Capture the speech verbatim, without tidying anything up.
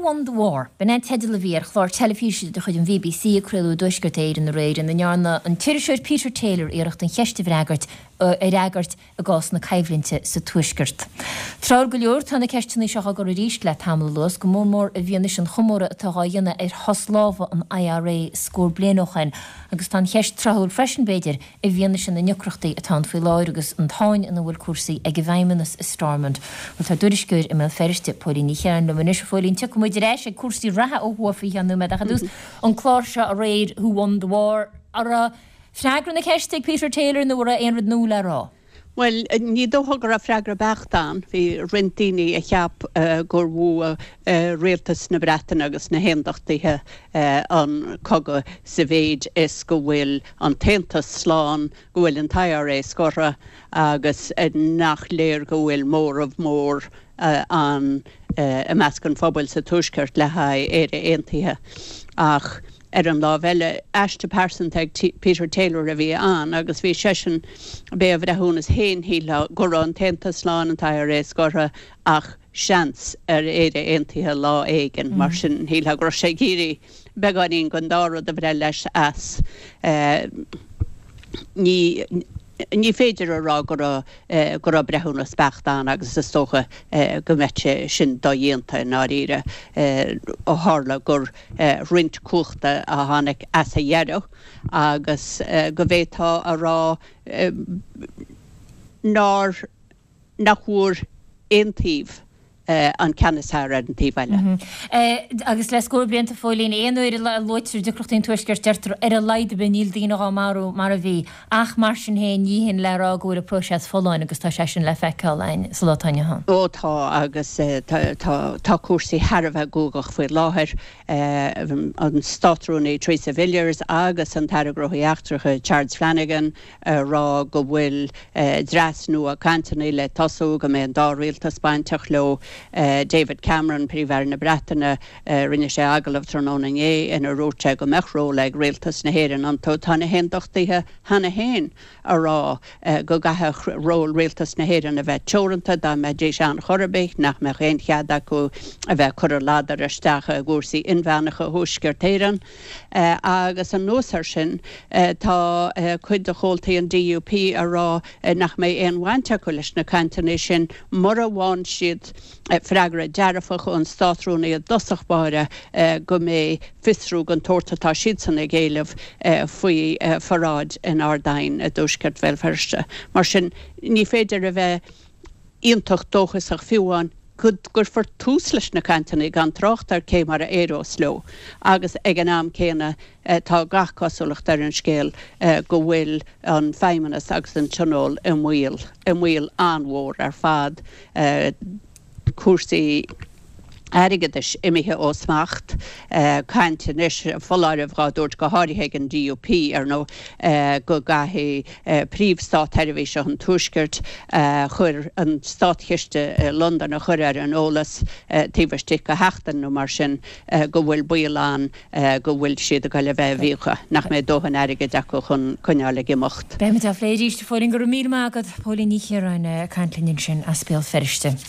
Won the War? B'in é an teideal a bhí ar chlár teilifíse de chuid an B B C a craoladh i dTuaisceart Éireann aréir, ina ndearna an t-iriseoir Peter Taylor iarracht an cheist a fhreagairt a fhreagairt i gcás na coimhlinte sa Tuaisceart. Tráthúil go leor, tá na ceisteanna seo á gcur arís le tamall anuas, go mór mór i bhfianaise an chomóradh atá á dhéanamh ar shos láimhe an I R A scór bliain ó shin, agus tá an cheist tráthúil freisin, b'fhéidir, i bhfianaise na ndeacrachtaí atá ann faoi láthair agus an tsáinn ina bhfuil cúrsaí ag an bhFeidhmeannas i Stormont. Bhuel, tá tuairisceoir i mBéal Feirste, Póilín Ní Chiaráin, liom anois. A Phóilín, tiocfaidh muid ar ais ag cúrsaí reatha ó thuaidh faoi cheann nóiméad, ach i dtús, an clár seo aréir, Who Won the War, an raibh freagra na ceiste ag Peter Taylor nó an raibh aon rud nua le rá? Well, ní dócha go raibh freagra beacht ann. Bhí roinnt daoine a cheap gur bhuaigh rialtas na Breataine agus na hAondachtaithe an cogadh sa mhéid is go bhfuil an tAontas slán, go bhfuil an I R A scortha agus nach léir go bhfuil móramh mór an i measc an phobail sa Tuaisceart le haghaidh Éire Aontaithe. Ach ar an lámh eile, aiste pearsanta ag Peter Taylor a bhí ann agus bhí seisean, b'é a bhreithiúnas féin, shílfeá, go raibh an tAontas slán, an I R A scortha, ach seans ar Éire Aontaithe lá éigin. Mar sin, shílfeá go raibh sé ag iarraidh beagáinín den dá rud a bhreith leis as. Ní ní féidir a rá go raibh go raibh breithiúnas beacht ann agus is dócha go mbeadh sé sin dodhéanta i ndáiríre, ó tharla gur roinnt cumhachta a tháinig as a dheireadh agus go bhféadfá a rá nár nach bhfuair aon taobh an ceann is fearr ar an taobh eile. Agus le scór blianta, a Phóilín, aon uair a luaitear deacrachtaí an Tuaiscirt, deirtear ar a laghad ar bith níl daoine á marú mar a bhí, ach mar sin féin ní hin le rá go bhfuil an próiseas folláin agus tá sé sin le feiceáil againn sa lá atá inniu ann. Ó tá, agus tá cúrsaí thar a bheith guagach faoi láthair. An Státrúnaí Theresa Villiers agus an tAire Gnóthaí Eachtracha Charles Flanagan ag rá go bhfuil dreas nua cainteanna le tosú, go mbeidh an dá rialtas bainteach leo. David Cameron, Príomh-Aire na Breataine, rinne sé agallamh tráthnóna inné inar dhúirt sé go mbeadh ról ag rialtas na hÉireann iontu. Tá na hAondachtaithe cheana féin ag rá go gcaithfeadh ról rialtas na hÉireann a bheith teoranta dá mbeidís ann chor ar bith, nach mbeadh aon chead acu a bheith ag cur a ladar isteach i gcúrsaí inmheánacha Thuaisceart Éireann. Agus anuas air sin, tá cuid de chomhaltaí an D U P ag rá nach mbeidh aon bhaint acu leis na cainteanna sin mura bhfaigheann siad freagra dearfach ón Státrúnaí i dtosach báire go mbeidh fiosrú den tsórt atá siadsan ag éileamh faoi pharáid in Ard Aidhin i dtuaisceart Bhéal Feirste. Mar sin, ní féidir a bheith iontach dóchasach fiú amháin go gcuirfear tús leis na cainteanna, gan trácht ar cé mar a éireos leo, agus ag an am céanna tá gach cosúlacht ar an scéal go bhfuil an Feidhmeannas agus an Tionól i mbaol, i mbaol an-mhór ar fad. Cúrsaí airgeadais imithe ó smacht, caint anois, foláireamh á dtabhairt, go háirithe ag an D U P ar ndóigh, go gcaithfidh príomh-státsheirbhíseach an Tuaiscirt chur an státchiste i Londain a chur ar an eolas taobh istigh de sheachtain nó mar sin go bhfuil baol ann go bhfuil siad ag dul a bheith i bhfiacha, nach mbeidh dóthain airgid acu chun coinneáil ag imeacht. Beimid á phlé arís, a Phóilín. Go raibh míle maith agat, Póilín Ní Chiaráin, ag caint linn ansin as Béal Feirste.